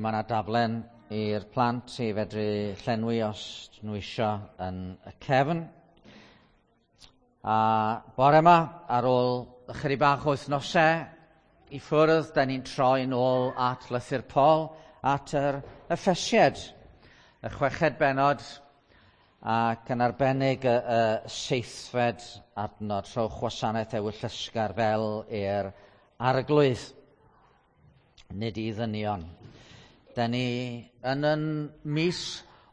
Mae yna daflen i'r plant i fedru llenwi os nhw isio yn y cefn. A bore yma, ar ôl ychydig bach o wythnosau i ffwrdd, da ni'n troi nôl at lythyr Paul, at yr Effesiad, y chweched benod, ac yn arbennig y seithfed adnod, rhowch wasanaeth ewyllysgar fel i'r arglwydd, nid i ddynion. Da ni yn yn mis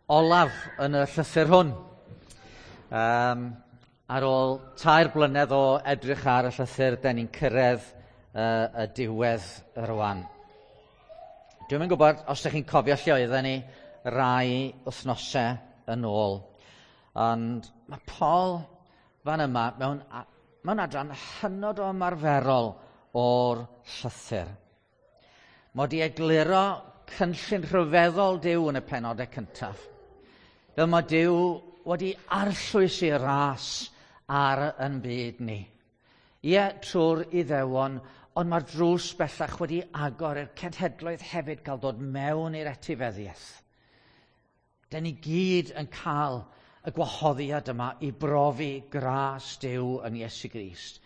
olaf yn y llythyr hwn. Ar ôl 3 blynedd o edrych ar y llythyr, da ni'n cyrraedd y diwedd rwan. Dwi'm yn gwybod os ydych chi'n cofio lle oedden ni rai wythnosau yn ôl. Ond mae Paul fan yma mewn adran hynod o ymarferol o'r llythyr. Mae wedi egluro cynllun rhyfeddol Duw yn y penodau cyntaf. Fel mae Duw wedi arllwys ei ras ar yn byd ni. Ie, trwy'r Iddewon, ond mae'r drws bellach wedi agor i'r cenhedloedd hefyd gael dod mewn i'r etifeddiaeth. Da ni gyd yn cael y gwahoddiad yma i brofi gras Duw yn Iesu Grist.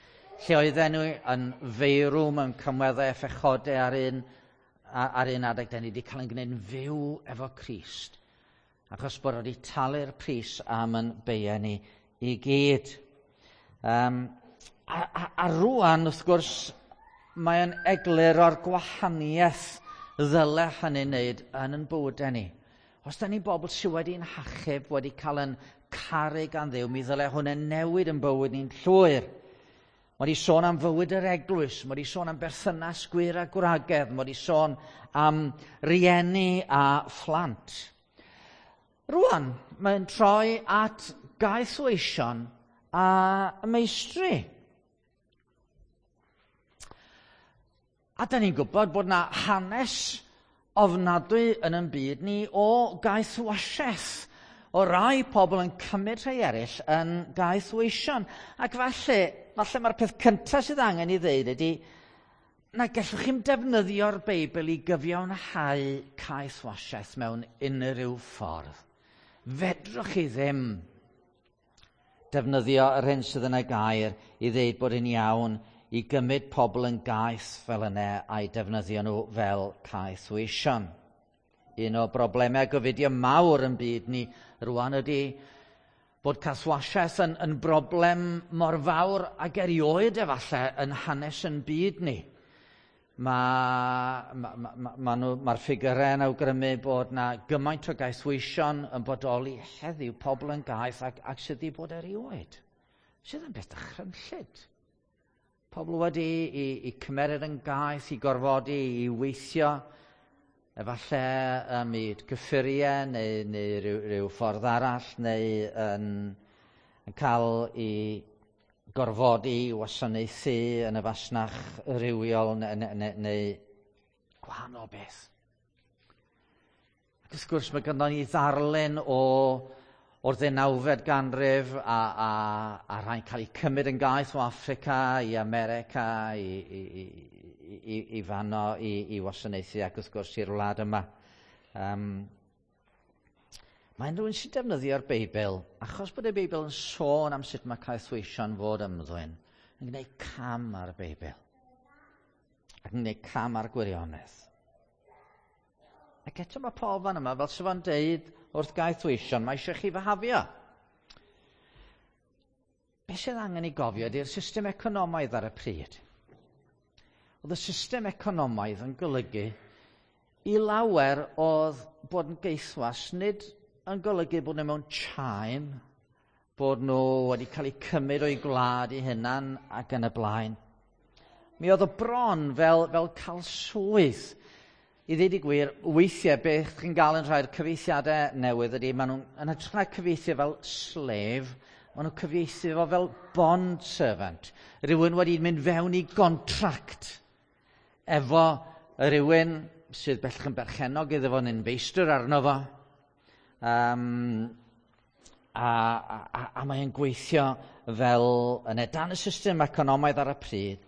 Lle oedden nhw yn feirw mewn cymweddau a phechodau ar un adeg, da ni wedi cael ein gwneud yn fyw efo Crist. Achos bod wedi talu'r pris am yn beiau ni i gyd. A rwan, wrth gwrs, mae'n egluro'r gwahaniaeth ddyle hynny wneud yn ein bywydau ni. Os da ni'n bobl sydd wedi'n hachub, wedi cael yn caru gan Dduw, mi ddyle hwnna newid yn bywyd ni'n llwyr. Mae wedi sôn am fywyd yr eglwys, mae wedi sôn am berthynas gwŷr a gwragedd, mae wedi sôn am rieni a phlant. Rwan, mae'n troi at gaethweision a meistri. A da ni'n gwybod bod na hanes ofnadwy yn ein byd ni o gaethwasiaeth, o rai pobl yn cymryd rhai eraill yn gaethweision. Ac falle mae'r peth cyntaf sydd angen i ddeud ydy na gallwch chi'm defnyddio'r Beibl i gyfiawnhau caethwasiaeth mewn unrhyw ffordd. Fedrwch chi ddim defnyddio yr hyn sydd yn y gair i ddeud bod yn iawn i gymryd pobl yn gaeth fel yna a'i defnyddio nhw fel caethweision. Un o broblemau gofidio mawr yn byd ni rwan ydy bod caethwasiaeth yn broblem mor fawr ag erioed efallai yn hanes yn byd ni. Mae'r ffigurau yn awgrymu bod na gymaint o gaethweision yn bodoli heddiw, pobl yn gaeth ac sydd wedi bod erioed. Sydd yn beth dychrynllyd. Pobl wedi i cymeryd yn gaeth, i gorfodi, i weithio, efallai ym myd gyffuriau neu rhyw ffordd arall, neu yn cael ei gorfodi i wasanaethu yn y fasnach rywiol neu gwahanol beth. Ac wrth gwrs mae ganddo ni ddarlun o'r ddeunawfed ganrif a rhai'n cael eu cymryd yn gaeth o Affrica i America i fanno i wasanaethu ac wrth gwrs i'r wlad yma. Mae'n rhywun sy'n defnyddio'r Beibl, achos bod y Beibl yn sôn am sut mae caethweision fod ymddwyn, yn gwneud cam ar y Beibl. Ac yn gwneud cam ar gwirionedd. Ac eto mae Paul fan yma, fel sydd fo'n deud wrth gaethweision, mae eisiau chi fyhafio. Be sydd angen ei gofio ydy'r system economaidd ar y pryd. Oedd y system economaidd yn golygu i lawer oedd bod yn gaethwas nid yn golygu bod nhw mewn chain, bod nhw wedi cael eu cymryd o'i gwlad eu hunan ac yn y blaen. Mi oedd o bron fel cael swydd. I ddweud y gwir, weithiau beth chi'n gael yn rhai'r cyfieithiadau newydd ydy, maen nhw'n yn hytrach na cyfieithu fel slave, maen nhw'n cyfieithu fo fel bond servant. Rhywun wedi mynd fewn i gontract efo rhywun sydd bellach yn berchennog iddo fo neu'n feistr arno fo. A mae'n gweithio fel yn dan y system economaidd ar y pryd.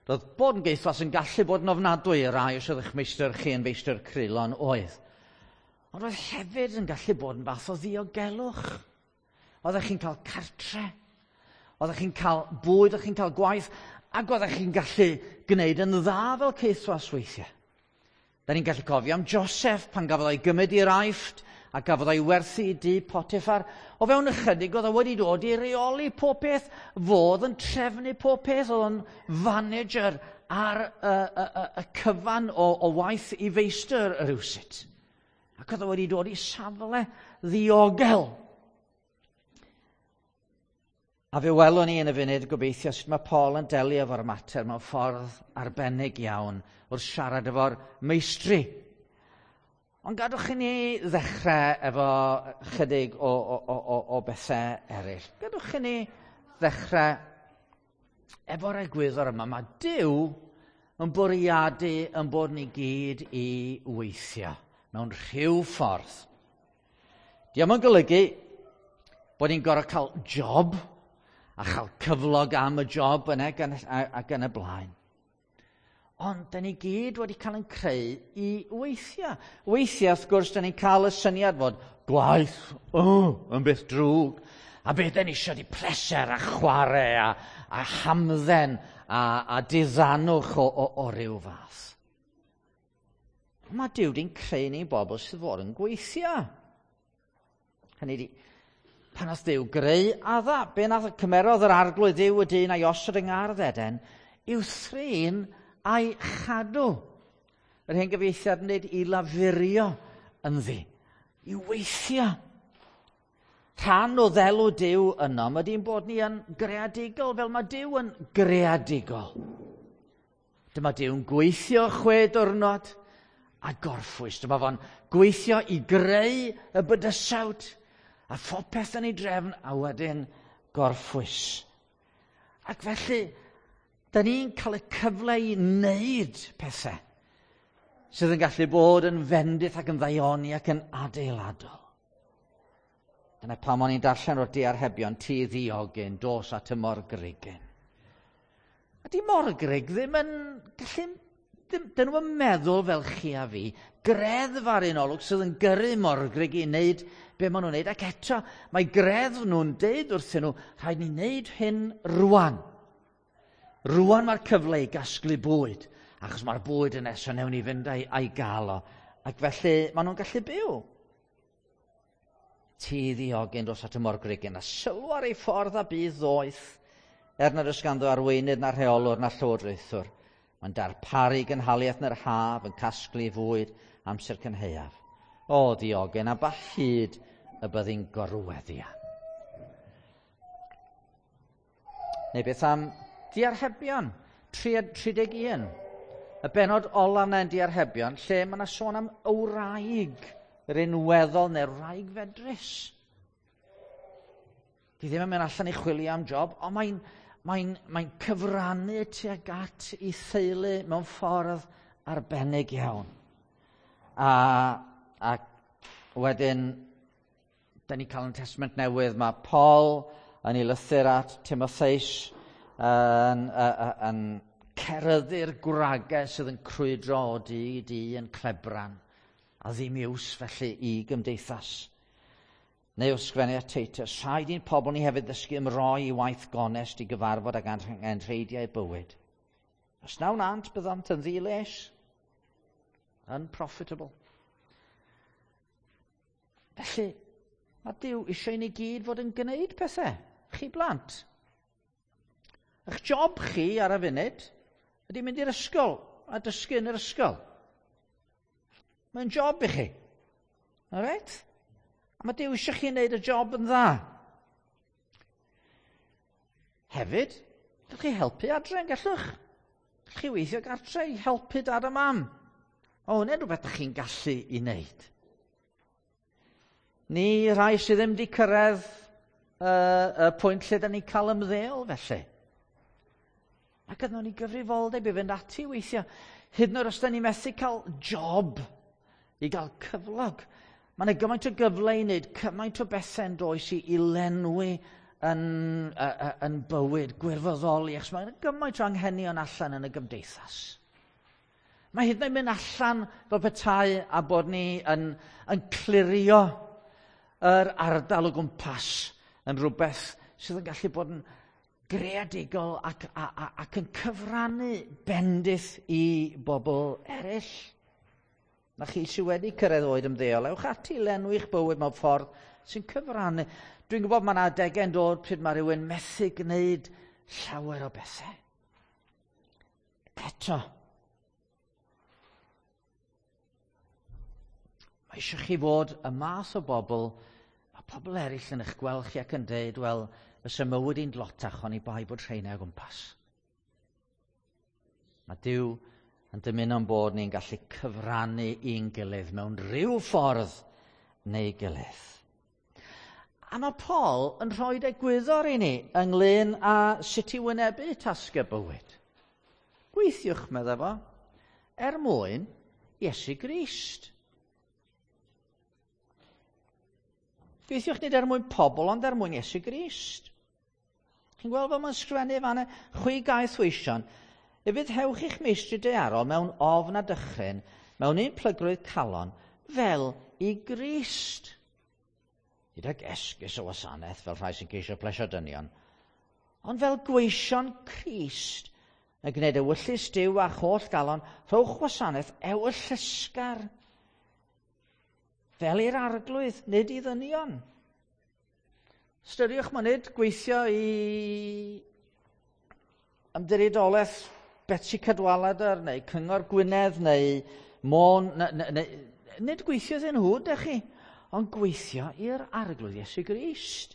Roedd bod yn geithwas yn gallu bod yn ofnadwy i rai os oedd eich meistr chi yn feistr creulon oedd. Ond roedd hefyd yn gallu bod yn fath o ddiogelwch. Oeddech chi'n cael cartre, oeddech chi'n cael bwyd, oeddech chi'n cael gwaith, ac oeddech chi'n gallu gwneud yn dda fel caethwas weithiau. Da ni'n gallu cofio am Joseph pan gafodd o'i gymryd i'r Aifft a gafodd o'i werthu i dŷ Potiphar. O fewn ychydig oedd o wedi dod i reoli pob peth, fodd yn trefnu pob peth, oedd o'n fanager ar y, y, y, y cyfan o, o waith i feistr rhywsut. Ac oedd o wedi dod i safle ddiogel. A fe welwn ni yn y funud gobeithio sut mae Paul yn delio efo'r mater mewn ffordd arbennig iawn wrth siarad efo'r meistri. Ond gadwch i ni ddechrau efo chydig o, o, o, o bethau eraill. Gadwch i ni ddechrau efo'r egwyddor yma. Mae Duw yn bwriadu yn bod ni gyd i weithio mewn rhyw ffordd. Diolch yn golygu bod ni'n gorfod cael job a chael cyflog am y job yna ac yn y blaen. Ond, da ni gyd wedi cael yn creu i weithio. Weithiau, wrth gwrs, da ni'n cael y syniad fod gwaith oh, yn beth drwg. A beth da ni eisiau di pleser a chwarae a, a hamdden a, a diddanwch o, o, o ryw fath. Mae Duw di'n creu ni bobl sydd fod yn gweithio. Hynny di, pan nath Duw greu Adda, be nath cymerodd yr arglwydd Dduw y dyn a'i osod yng ngardd Eden, i'w thrin a'i chadw. Yr hen gyfieithiad yn dweud i lafurio ynddi, i weithio. Rhan o ddelw Duw yno, mae di'n bod ni yn greadigol, fel mae Duw yn greadigol. Dyma Duw'n gweithio chwe diwrnod a gorffwys. Dyma fo'n gweithio i greu y bydysawd a phopeth yn ei drefn a wedyn gorffwys. Ac felly, da ni'n cael y cyfle i wneud pethau sydd yn gallu bod yn fendith ac yn ddaioni ac yn adeiladol. Dyna pam o'n i'n darllen o'r diarhebion, ti ddiogyn, dos at y morgrugyn. A di morgrug ddim yn gallu Dyn, dyn nhw'n meddwl fel chi a fi, greddf ar un olwg sydd yn gyrru morgrug i wneud be maen nhw'n wneud. Ac eto, mae greddf nhw'n deud wrthyn nhw, rhaid ni wneud hyn rwan. Rwan mae'r cyfle i gasglu bwyd, achos mae'r bwyd yn nesaf newn ni fynd a'i, a'i gael o. Ac felly maen nhw'n gallu byw. Ti ddiogyn dros at y morgrugyn, a sylw ar ei ffordd a bydd ddoeth, er nad oes ganddo arweinydd na rheolwr na llywodraethwr. Mae'n darparu gynhaliaeth yn yr haf, yn casglu fwyd amser cynhaeaf. O, diogen, a ba hyd y byddi'n gorweddia. Neu beth am diarhebion, 31. Y benod olaf yna yn diarhebion, lle mae yna sôn am y wraig, yr unweddol neu'r wraig fedrus. Di ddim yn mynd allan i chwilio am job, ond mae'n mae'n mae cyfrannu tuag at ei theulu mewn ffordd arbennig iawn. A, a wedyn, da ni'n cael yn Testament Newydd, mae Paul yn ei lythyr at Timotheus yn, yn, yn ceryddu'r gwragau sydd yn crwydro o dŷ i dŷ yn clebran a ddim iws felly i gymdeithas. Neu wrth sgwennu at Titus, rhaid i'n pobl ni hefyd ddysgu ymroi i waith gonest i gyfarfod ag anrheidiau bywyd. Os na wnânt, byddant yn ddi-les, unprofitable. Felly, mae Duw eisiau i ni gyd fod yn gwneud pethau. Chi blant. Eich job chi ar y funud ydy mynd i'r ysgol a dysgu yn yr ysgol. Mae'n job i chi. Alright? A mae Duw eisiau chi wneud y job yn dda. Hefyd, gallwch chi helpu adre yn gallwch. Gallwch chi weithio gartre i helpu dad a mam. O, hwnna'n rhywbeth ydych chi'n gallu i wneud. Ni rhai sydd ddim wedi cyrraedd y, y pwynt lle da ni'n cael ymddeol felly. Ac ydyn ni gyfrifoldeb i fynd ati weithio. Hyd yn oed os da ni methu cael job i gael cyflog. Mae yna gymaint o gyfle i wneud, cymaint o bethau yn does i, i lenwi yn, yn bywyd gwirfoddoli, achos mae'n gymaint o anghenion allan yn y gymdeithas. Mae hyd yn oed mynd allan fel petai a bod ni yn, yn clirio yr ardal o gwmpas yn rhywbeth sydd yn gallu bod yn greadigol ac, a, a, ac yn cyfrannu bendith i bobl eraill. Na chi sydd wedi cyrraedd oed ymddeol, ewch ati lenwi'ch bywyd mewn ffordd sy'n cyfrannu. Dwi'n gwybod mae yna adegau'n dod pryd mae rhywun methu gwneud llawer o bethau. Eto, mae eisiau chi fod y math o bobl, mae pobl eraill yn eich gweld chi ac yn dweud, wel, fysa mywyd i'n dlotach oni bai bod rheina o gwmpas. Mae Duw yn dymuno'n bod ni'n gallu cyfrannu i'n gilydd mewn rhyw ffordd neu gilydd. A mae Paul yn rhoi egwyddor i ni ynglyn â sut i wynebu tasgau bywyd. Gweithiwch, meddai fo, er mwyn Iesu Grist. Gweithiwch nid er mwyn pobl, ond er mwyn Iesu Grist. Chi'n gweld fel mae'n sgrifennu fanna, chwi gaeth weision, ufuddhewch i'ch meistri daearol mewn ofn a dychryn, mewn un plygrwydd calon, fel i Grist. Nid ag esgus o wasanaeth fel rhai sy'n ceisio plesio dynion, ond fel gweision Crist yn gwneud ewyllys Duw â'ch holl galon, rhowch wasanaeth ewyllysgar fel i'r arglwydd, nid i ddynion. Ystyriwch mae nid gweithio i ymddiriedolaeth Betsi Cadwaladr neu Cyngor Gwynedd neu Môn, neu, neu, nid gweithio iddyn nhw, dych chi, ond gweithio i'r arglwydd Iesu Grist.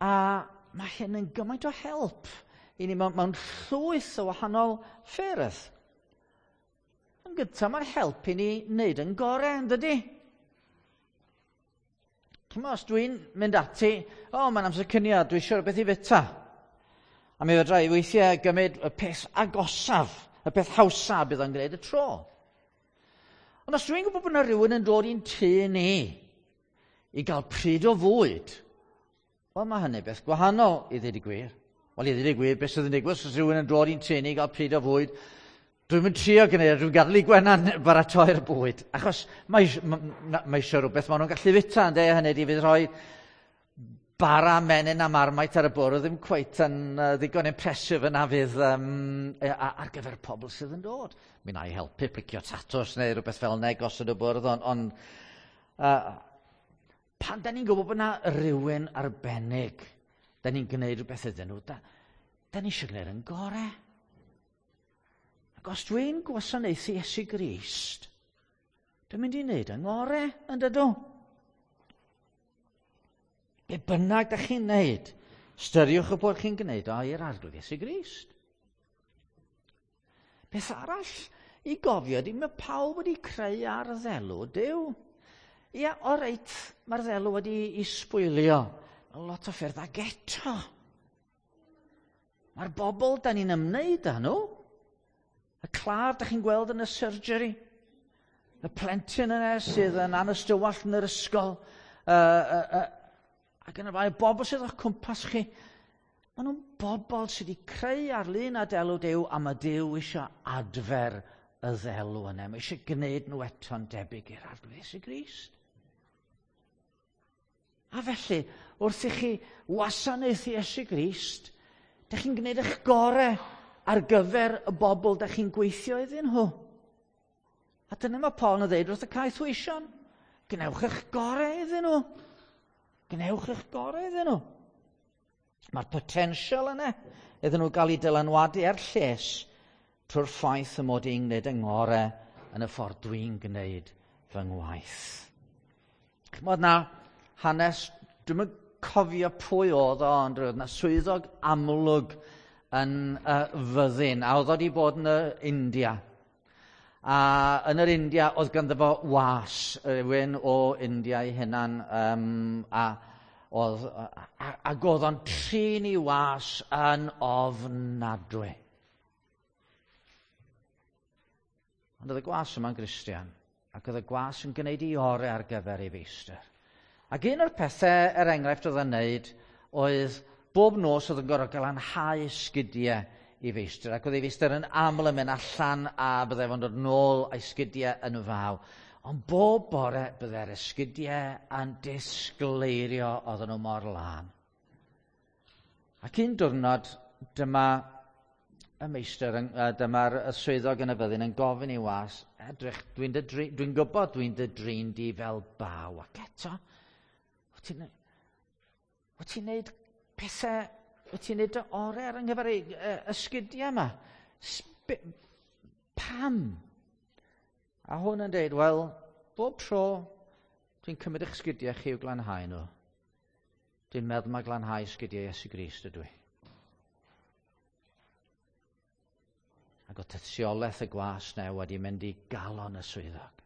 A mae hyn yn gymaint o help i ni mewn, mewn llwyth o wahanol ffyrdd. Yn gyntaf, mae'n help i ni wneud yn gorau, yn dydy? Chymod, os dwi'n mynd ati, o, oh, mae'n amser cynio, dwi eisiau rhywbeth i fyta. A mi fedra i weithiau gymryd y peth agosaf, y peth hawsa bydd o'n gwneud y tro. Ond os dwi'n gwybod bod yna rhywun yn dod i'n tŷ ni i gael pryd o fwyd, wel mae hynny beth gwahanol i ddweud y gwir. Wel i ddweud y gwir, beth sydd yn digwydd os rhywun yn dod i'n tŷ ni i gael pryd o fwyd, dwi'n mynd trio gwneud, dwi'n gadael i Gwenan baratoi'r bwyd. Achos mae, mae, mae eisiau rhywbeth maen nhw'n gallu fita, ynddo, hynny di fydd rhoi bara menyn a marmite ar y bwrdd ddim cweit yn uh, ddigon impressive yna fydd um, ar gyfer pobl sydd yn dod. Mi na i helpu plicio tatws neu rhywbeth fel yna gosod y bwrdd, ond on, uh, pan da ni'n gwybod bod yna rhywun arbennig, da ni'n gwneud rhywbeth iddyn nhw, da, da ni eisiau gwneud yn gorau. Ac os dwi'n gwasanaethu Iesu Grist, dwi'n mynd i wneud yng ngorau, yn dydw? Be bynnag da chi'n neud, styriwch y bod chi'n gwneud o i'r arglwydd Iesu Grist. Beth arall i gofio ydy mae pawb wedi creu ar ddelw Duw. Ia, o reit, mae'r ddelw wedi i sbwylio. Mae lot o ffyrdd ag eto. Mae'r bobl da ni'n ymwneud â nhw, y claf da chi'n gweld yn y surgery, y plentyn yna sydd yn anystywallt yn yr ysgol, uh, uh, uh, ac yn y blaen, bobl sydd o'ch cwmpas chi, maen nhw'n bobl sydd wedi creu ar lun a delw Duw, a mae Duw eisiau adfer y ddelw yna. Mae eisiau gwneud nhw eto'n debyg i'r Arglwydd Iesu Grist. A felly, wrth i chi wasanaethu Iesu Grist, dych chi'n gwneud eich gorau ar gyfer y bobl dych chi'n gweithio iddyn nhw. A dyna mae Paul yn dweud wrth y caethweision. Gwnewch eich gorau iddyn nhw. Gwnewch eich gorau iddyn nhw. Mae'r potensial yna iddyn nhw gael eu dylanwadu er lles trwy'r ffaith y mod i'n gwneud yng ngorau yn y ffordd dwi'n gwneud fy ngwaith. Chymod na hanes, dwi'n yn cofio pwy oedd o, ond roedd na swyddog amlwg yn uh, fyddin, a oedd o wedi bod yn y India. A yn yr India oedd ganddo fo was, rhywun o India ei hunan, um, a, oedd, a, ac oedd o'n trin i was yn ofnadwy. Ond oedd y gwas yma'n Gristion, ac oedd y gwas yn gwneud ei orau ar gyfer ei feistr. Ac un o'r pethau, er enghraifft, oedd yn neud oedd bob nos oedd yn gorfod glanhau sgidiau i feistr, ac oedd ei feistr yn aml yn mynd allan a byddai fo'n dod nôl a'i sgidiau yn y faw. Ond bob bore byddai'r esgidiau yn disgleirio, oedden nhw mor lân. Ac un diwrnod, dyma y meistr, dyma'r swyddog yn y fyddin yn gofyn i was, "Edrych, dwi'n dwi gwybod dwi'n dy drin di fel baw, ac eto, wyt ti'n wyt ti'n neud pethau, wyt ti'n neud dy orau ar yng nghyfer ysgidiau yma? Pam?" A hwn yn dweud, "Wel, bob tro dwi'n cymryd eich sgidiau chi i'w glanhau nhw, dwi'n meddwl mae glanhau sgidiau Iesu Grist ydw i." Ac o tystiolaeth y gwas na wedi mynd i galon y swyddog.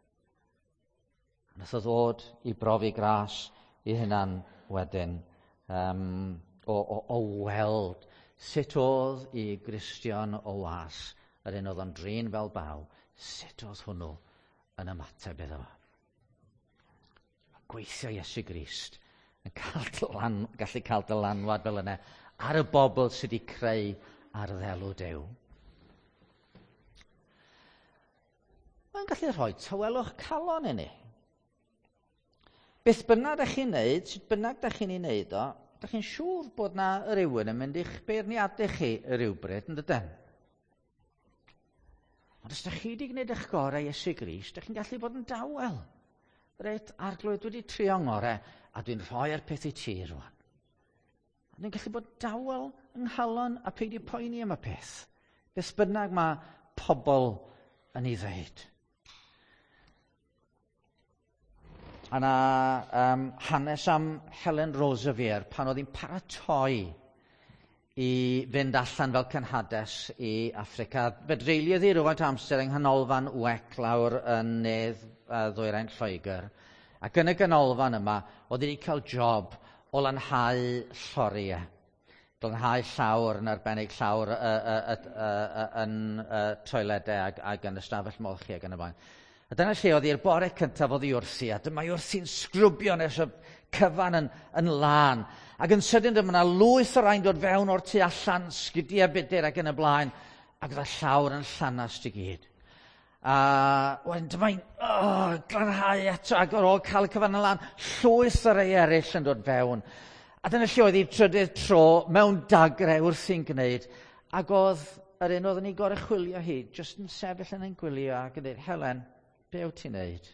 A nath o ddod i brofi gras i hunan wedyn o weld sut oedd i Gristion o was, yr un oedd o'n drin fel baw, sut oedd hwnnw yn ymateb iddo fo. Gweithio Iesu Grist yn gallu cael dylanwad fel yna ar y bobl sydd wedi creu ar ddelw Duw. Mae'n gallu rhoi tawelwch calon i ni. Beth bynnag ydych chi'n neud, sut bynnag ydych chi'n ei wneud o, ydych chi'n siŵr bod na rhywun yn mynd i'ch beirniadu chi rhywbryd, yn dydyn? Ond os ydych chi wedi gwneud eich gorau Iesu Grist, ydych chi'n gallu bod yn dawel. "Reit, Arglwydd, dwi wedi trio ngorau, a dwi'n rhoi'r peth i ti rwan." A dwi'n gallu bod dawel yng nghalon a peidio poeni am y peth. Beth bynnag mae pobl yn ei ddeud. A na hanes am Helen Roseveare pan oedd hi'n paratoi i fynd allan fel cenhades i Affrica. Fe dreuliodd hi rhywfaint o amser yng nghanolfan WEC lawr yn nedd ddwyrain Lloegr. Ac yn y ganolfan yma, oedd hi wedi cael job o lanhau lloriau. Glanhau llawr, yn arbennig llawr yn toiledau ac yn ystafell molchi ac yn y blaen. A dyna lle oedd hi'r bore cyntaf oedd hi wrthi, a dyma hi wrthi'n sgrwbio nes y cyfan yn lân. Ac yn sydyn dyma yna lwyth o rai'n dod fewn o'r tu allan, sgidiau budur ac yn y blaen, ac oedd y llawr yn llanast i gyd. A wedyn dyma hi'n glanhau eto, ac ar ôl cael y cyfan yn lân, llwyth o rai eraill yn dod fewn. A dyna lle oedd hi'r trydydd tro mewn dagre wrthi'n gwneud, ac oedd yr un oedd yn ei goruchwylio hi, jyst yn sefyll yn ein gwylio ac yn dweud, "Helen, be wyt ti'n neud?"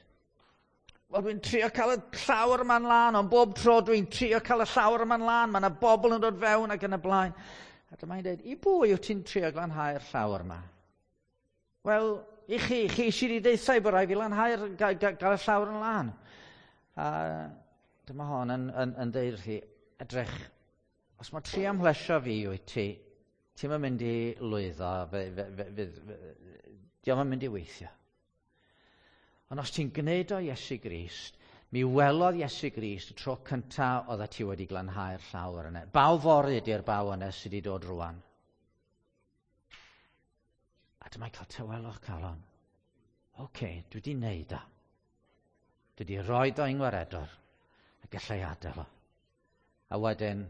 "Wel, dwi'n trio cael y llawr yma'n lân, ond bob tro dwi'n trio cael y llawr yma'n lân, mae yna bobl yn dod fewn ac yn y blaen." A dyma hi'n dweud, "I bwy wyt ti'n trio glanhau'r llawr yma?" "Wel, i chi, chi sydd wedi deutha i bod rhaid fi lanhau'r, gael y llawr yn lân." A dyma hon yn deud wrthi, "Edrych, os mae trio amhlesio fi wyt ti, ti'n mynd i lwyddo, dio'm yn mynd i weithio. Ond os ti'n gwneud o Iesu Grist, mi welodd Iesu Grist y tro cyntaf oedd ti wedi glanhau'r llawr yna. Baw fory ydy'r baw yna sydd wedi dod rwan." A dyma'n cael tawelwch calon. Oce, okay, dwi wedi wneud o. Dwi wedi rhoi o i'n gwaredwr a gallai adael o. A wedyn,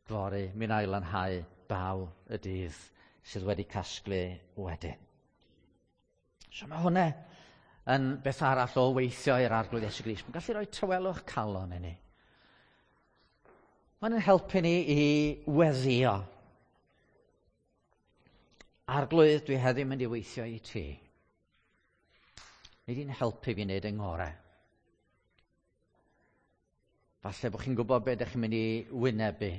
fory, mi wna i lanhau baw y dydd sydd wedi casglu wedyn. So mae hwnna yn beth arall o weithio i'r Arglwydd Iesu Grist. Mae'n gallu rhoi tawelwch calon i ni. Mae'n helpu ni i weddio. "Arglwydd, dwi heddiw mynd i weithio i ti. Nei di'n helpu fi wneud yng ngorau." Falle bod chi'n gwybod beth ydych chi'n mynd i wynebu.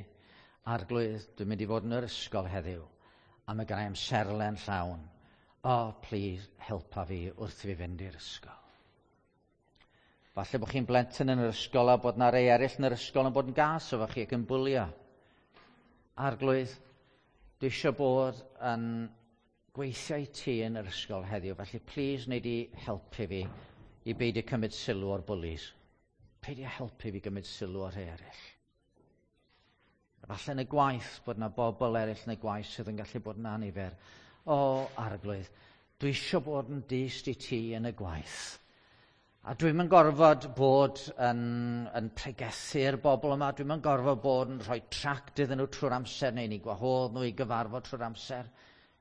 "Arglwydd, dwi'n mynd i fod yn yr ysgol heddiw, a mae gen i amserlen llawn. O, oh, please, helpa fi wrth i fi fynd i'r ysgol." Falle bod chi'n blentyn yn yr ysgol a bod na rei eraill yn yr ysgol yn bod yn gas efo chi ac yn bwlio. "Arglwydd, dwi eisiau bod yn gweithio i ti yn yr ysgol heddiw, felly please wnei di helpu fi i beidio cymryd sylw o'r bwlis. Peidio helpu fi gymryd sylw o'r rhai eraill." Falle yn y gwaith bod yna bobl eraill yn y gwaith sydd yn gallu bod yn annifyr. "O, Arglwydd, dwi eisiau bod yn dyst i ti yn y gwaith." A dwi'm yn gorfod bod yn pregethu'r bobl yma, dwi'm yn gorfod bod yn rhoi tract iddyn nhw trwy'r amser neu ni gwahodd nhw i gyfarfod trwy'r amser.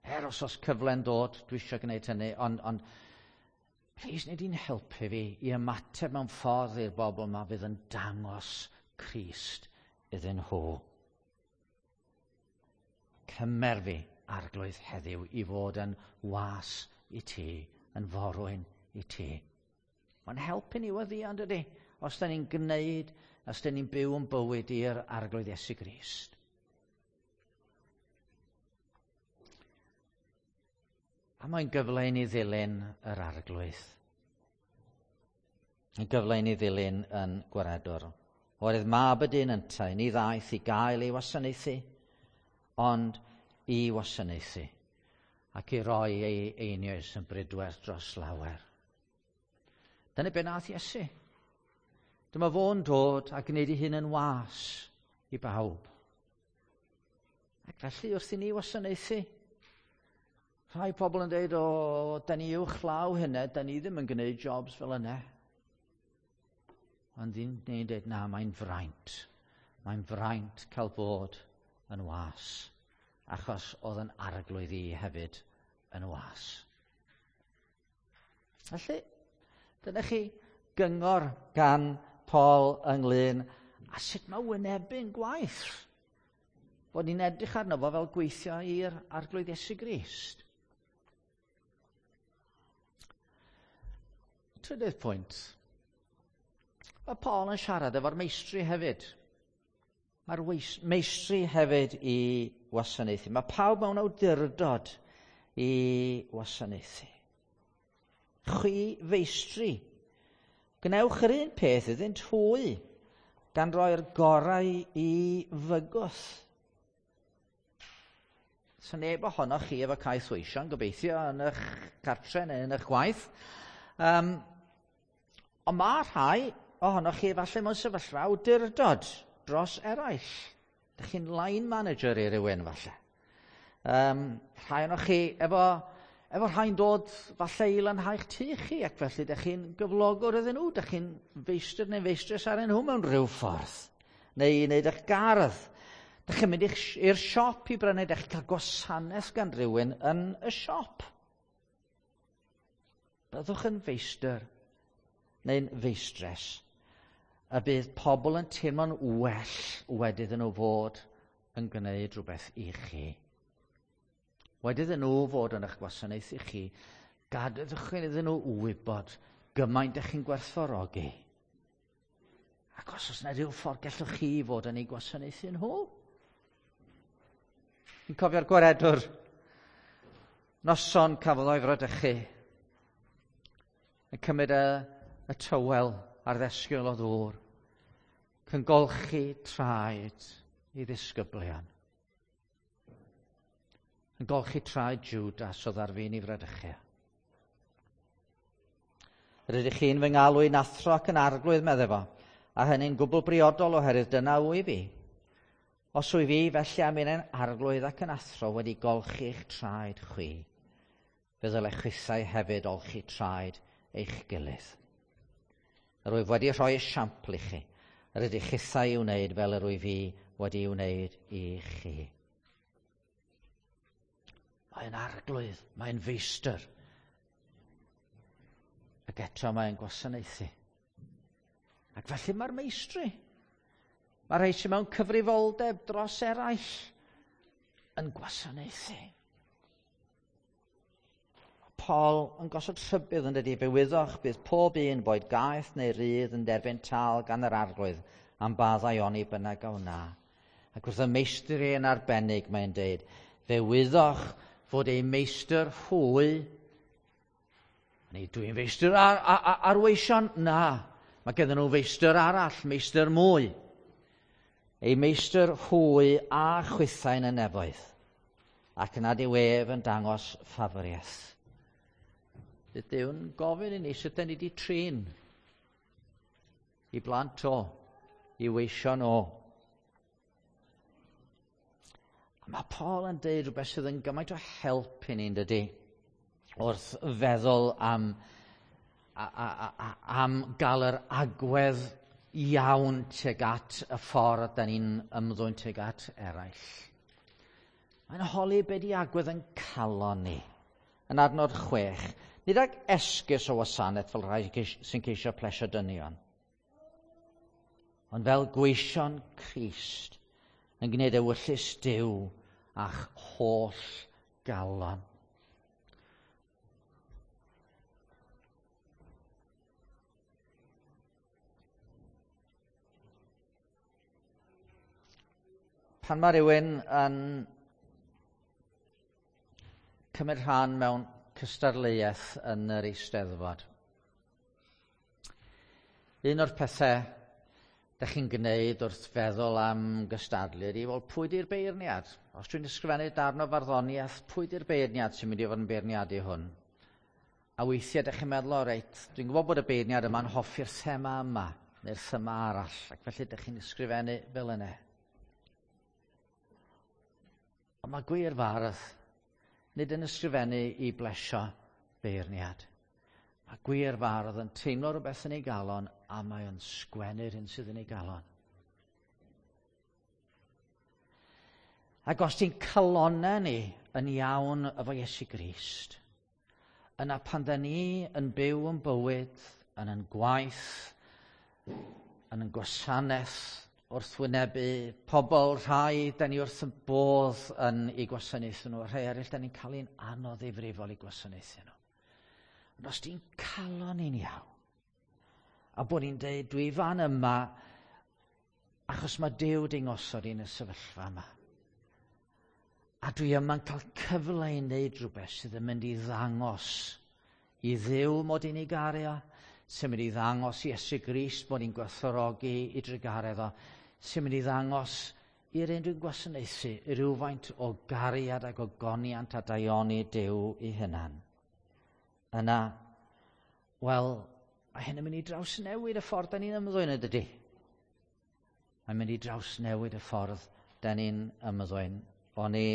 Er os oes cyfle'n dod, dwi eisiau gwneud hynny, ond plis wnei di'n helpu fi i ymateb mewn ffordd i'r bobl yma fydd yn dangos Crist iddyn nhw. Cymer fi, Arglwydd, heddiw i fod yn was i ti, yn forwyn i ti. Mae'n helpu ni weddïo, dydy, os da ni'n gwneud, os da ni'n byw yn bywyd i'r Arglwydd Iesu Grist. A mae'n gyfle i ni ddilyn yr Arglwydd. Yn gyfle i ni ddilyn yn gwaredwr. Oherwydd mab y dyn yntau, ni ddaeth i gael ei wasanaethu, ond i wasanaethu, ac i roi ei einioes yn brydwerth dros lawer. Dyna be nath Iesu. Dyma fo'n dod a gwneud ei hun yn was i bawb. Ac felly wrth i ni wasanaethu, rhai pobl yn dweud, o, da ni uwch law hynny, da ni ddim yn gwneud jobs fel yna. Ond ni'n dweud, na, mae'n fraint. Mae'n fraint cael bod yn was. Achos oedd yn arglwydd i hefyd yn was. Felly, dyna chi gyngor gan Paul ynglyn a sut mae wynebu'n gwaith. Bod ni'n edrych arno fo fel gweithio i'r Arglwydd Iesu Grist. Trydydd pwynt. Mae Paul yn siarad efo'r meistri hefyd. Mae'r meistri hefyd i wasanaethu. Mae pawb mewn awdurdod i wasanaethu. Chwi feistri, gwnewch yr un peth iddynt hwy, gan roi'r gorau i fygwth. So neb ohonoch chi efo caeth weision, gobeithio, yn eich cartre neu yn eich gwaith. Ond mae rhai ohonoch chi efallai mewn sefyllfa awdurdod dros eraill. Dych chi'n line manager i rywun falle. Rhai ohonoch chi efo rhai'n dod falle i lanhau'ch tŷ chi, ac felly dych chi'n gyflogwr iddyn nhw, dych chi'n feistr neu feistres arnyn nhw mewn rhyw ffordd, neu i wneud eich gardd. Dych chi'n mynd i'r siop i brynu, dych chi'n cael gwasanaeth gan rhywun yn y siop. Byddwch yn feistr neu'n feistres, a bydd pobl yn teimlo'n well wedi iddyn nhw fod yn gwneud rhywbeth i chi. Wedi iddyn nhw fod yn eich gwasanaeth i chi, gadewch iddyn nhw wybod gymaint ydych chi'n gwerthfawrogi. Ac os oes yna rhyw ffordd gallwch chi fod yn eu gwasanaethu nhw. Fi'n cofio'r gwaredwr. Noson cafodd o'i fradychu. Yn cymryd y tywel a'r ddesgyl o ddŵr. Cyngolchi traed i ddisgyblion. Yn golchi traed Judas oedd ar fin i fradychu. Rydych chi'n fy ngalw i'n athro ac yn arglwydd, meddai fo, a hynny'n gwbl briodol oherwydd dyna wyf fi. Os wyf fi, felly am un arglwydd ac yn athro wedi golchi eich traed chwi, fe ddylech chwithau hefyd olchi traed eich gilydd. Yr wyf wedi rhoi esiampl i chi, yr ydych chithau i'w wneud fel yr wyf fi wedi i'w wneud i chi. Mae'n arglwydd, mae'n feistr. Ac eto mae'n gwasanaethu. Ac felly mae'r meistri. Mae rhai sydd mewn cyfrifoldeb dros eraill yn gwasanaethu. Paul yn gosod rhybudd yn dydi, fe wyddoch bydd pob un boed gaeth neu rydd yn derbyn tâl gan yr arglwydd am ba ddaioni bynnag a wna. Ac wrth y meistri yn arbennig mae'n deud, fe wyddoch fod ei meistr hwy, neu dwi'n feistr ar weision? Na, mae gennym nhw feistr arall, meistr mwy. Ei meistr hwy a chwithau yn y nefoedd, ac nad yw ef yn dangos ffafriaeth. Bydd Duw'n gofyn i ni sut dan ni wedi trin i blant o, i weision o. A mae Paul yn deud rhywbeth sydd yn gymaint o help i ni, yn dydi, wrth feddwl am am gael yr agwedd iawn tuag at y ffordd da ni'n ymddwyn tuag at eraill. Mae'n holi be di agwedd yn calon ni. Yn adnod 6, nid ag esgus o wasanaeth fel rhai sy'n ceisio plesio dynion, ond fel gweision Crist yn gwneud ewyllys Duw a'ch holl galon. Pan mae rhywun yn cymryd rhan mewn cystadleuaeth yn yr Eisteddfod, un o'r pethau dych chi'n gwneud wrth feddwl am gystadlu ydy, wel, pwy di'r beirniad? Os dwi'n ysgrifennu darn o farddoniaeth, pwy di'r beirniad sy'n mynd i fod yn beirniadu hwn? A weithiau dych chi'n meddwl, o reit, dwi'n gwybod bod y beirniad yma'n hoffi'r thema yma, neu'r thema arall, ac felly dych chi'n ysgrifennu fel yna. Ond mae gwir fardd nid yn ysgrifennu i blesio beirniad. Mae gwir fardd yn teimlo rhywbeth yn ei galon a mae o'n sgwennu'r hyn sydd yn ei galon. Ac os ti'n calonau ni yn iawn efo Iesu Grist, yna pan da ni yn byw yn bywyd, yn yn gwaith, yn yn gwasanaeth, wrth wynebu pobl rhai, da ni wrth y bodd yn eu gwasanaethu nhw, rhai eraill da ni'n cael ein anodd ddifrifol i gwasanaethu nhw. Ond os ti'n calon ni'n iawn, a bod ni'n deud, dwi fan yma, achos mae Duw di'n ngosod i'n y sefyllfa yma. A dwi yma'n cael cyfle i wneud rhywbeth sydd yn mynd i ddangos i Dduw mod i'n ei garu o, sy'n mynd i ddangos i Iesu Grist mod i'n gwerthfawrogi i drugaredd o, sy'n mynd i ddangos i'r un dwi'n gwasanaethu rhywfaint o gariad ac ogoniant a daioni Duw i hunan. Yna, wel, mae hyn yn mynd i drawsnewid y ffordd da ni'n ymddwyn, ydydy? Mae'n mynd i drawsnewid y ffordd da ni'n ymddwyn. O'n i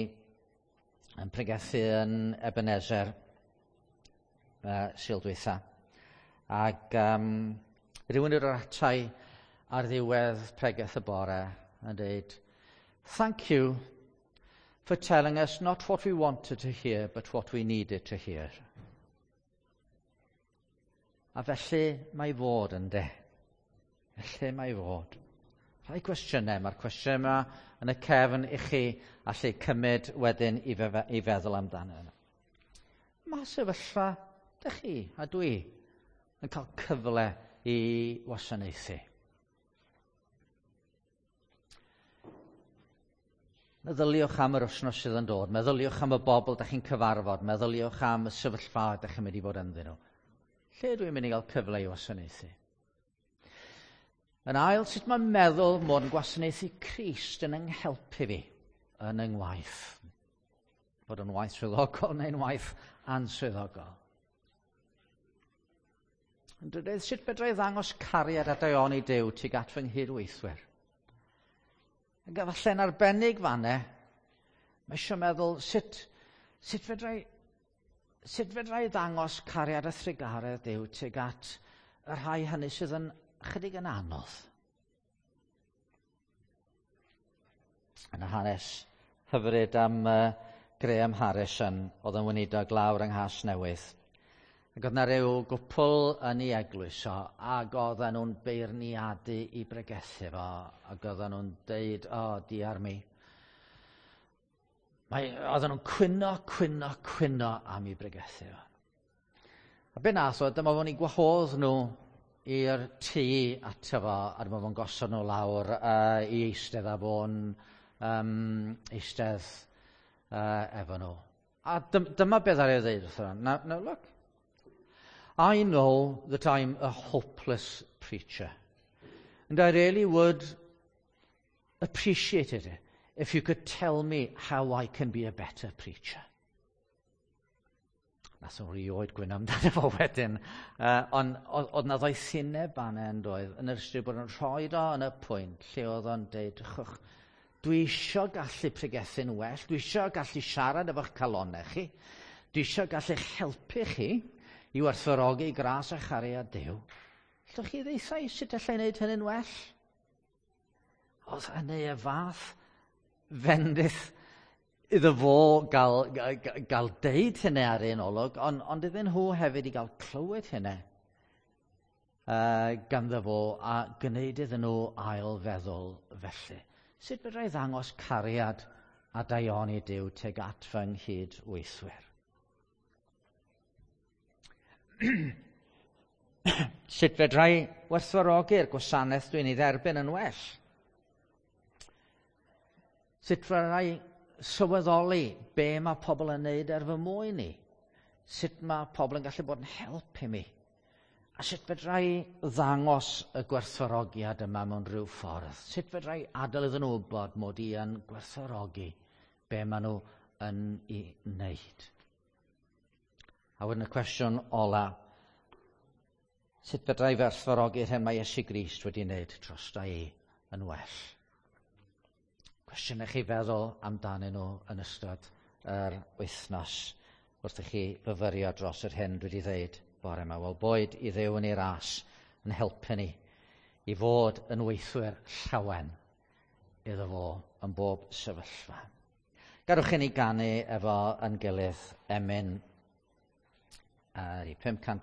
yn pregethu yn Ebenezer Sul dwytha. Ac rhywun o'r atai ar ddiwedd pregeth y bore yn dweud, "Thank you for telling us not what we wanted to hear, but what we needed to hear." A felly mae fod yn de. Felly mae fod. Rhai cwestiynau, mae'r cwestiynau yma yn y cefn i chi allu cymryd wedyn i feddwl amdano. Mae sefyllfa, dych chi a dwi, yn cael cyfle i wasanaethu. Meddyliwch am yr wythnos sydd yn dod. Meddyliwch am y bobl dych chi'n cyfarfod. Meddyliwch am y sefyllfa dych chi'n mynd i fod ynddyn nhw. Lle dwi'n mynd i gael cyfle i wasanaethu? Yn ail, sut mae'n meddwl mod yn gwasanaethu Crist yn yng nghelpu fi yn yng ngwaith? Bod yn waith swyddogol neu'n waith answyddogol. Yn drydydd, sut fedra i ddangos cariad a daioni Duw tuag at fy nghydweithwyr? Ac efallai'n arbennig fanne, mae eisiau meddwl sut fedra i ddangos cariad a thrugaredd Duw tuag at y rhai hynny sydd yn chydig yn anodd. Yn y hanes hyfryd am Graham Harrison, oedd yn weinidog lawr yng Nghasnewydd. Ac oedd 'na ryw gwpl yn ei eglwys o, ac oedden nhw'n beirniadu i bregethu fo, ac oedden nhw'n deud, o, diar mi. Oedden nhw'n cwyno, cwyno, cwyno am ei bregethu fo. A be nath o, dyma fo'n ei gwahodd nhw i'r tŷ ato fo, a dyma fo'n gosod nhw lawr i eistedd a fo'n eistedd efo nhw. A dyma beth ar ei ddeud wrtho nhw. Now look, I know that I'm a hopeless preacher, and I really would appreciate it if you could tell me how I can be a better preacher. Nath o'n rioed gwyno amdano fo wedyn, ond oedd 'na ddoethineb fan'na yn doedd, yn yr ystyr bod yn rhoi o yn y pwynt lle oedd o'n deud, drychwch, dwi isio gallu pregethu'n well, dwi isio gallu siarad efo'ch calonnau chi, dwi isio gallu'ch helpu chi i werthfawrogi gras a chariad Duw. Allwch chi ddeutha i sut allai wneud hynny'n well? Oedd hynny y fath fendith iddo fo gael deud hynny ar un olwg, ond iddyn nhw hefyd i gael clywed hynny ganddo fo a gwneud iddyn nhw ail feddwl felly. Sut fedra i ddangos cariad a daioni Duw tuag at fy nghydweithwyr? Sut fedra i werthfawrogi'r gwasanaeth dwi'n ei dderbyn yn well? Sut fedra i sylweddoli be mae pobl yn neud er fy mwyn i? Sut mae pobl yn gallu bod yn help i mi? A sut fedra i ddangos y gwerthfawrogiad yma mewn rhyw ffordd? Sut fedra i adael iddyn nhw wybod mod i yn gwerthfawrogi be maen nhw yn ei wneud? A wedyn y cwestiwn ola, sut fedra i werthfawrogi'r hyn mae Iesu Grist wedi wneud drosta i yn well? Cwestiwn i chi feddwl amdanyn nhw yn ystod yr wythnos wrth i chi fyfyrio dros yr hyn dwi wedi ddeud bore yma. Wel, boed i Dduw yn ei ras yn helpu ni i fod yn weithwyr llawen iddo fo yn bob sefyllfa. Gadwch i ni ganu efo yn gilydd emyn ar 585.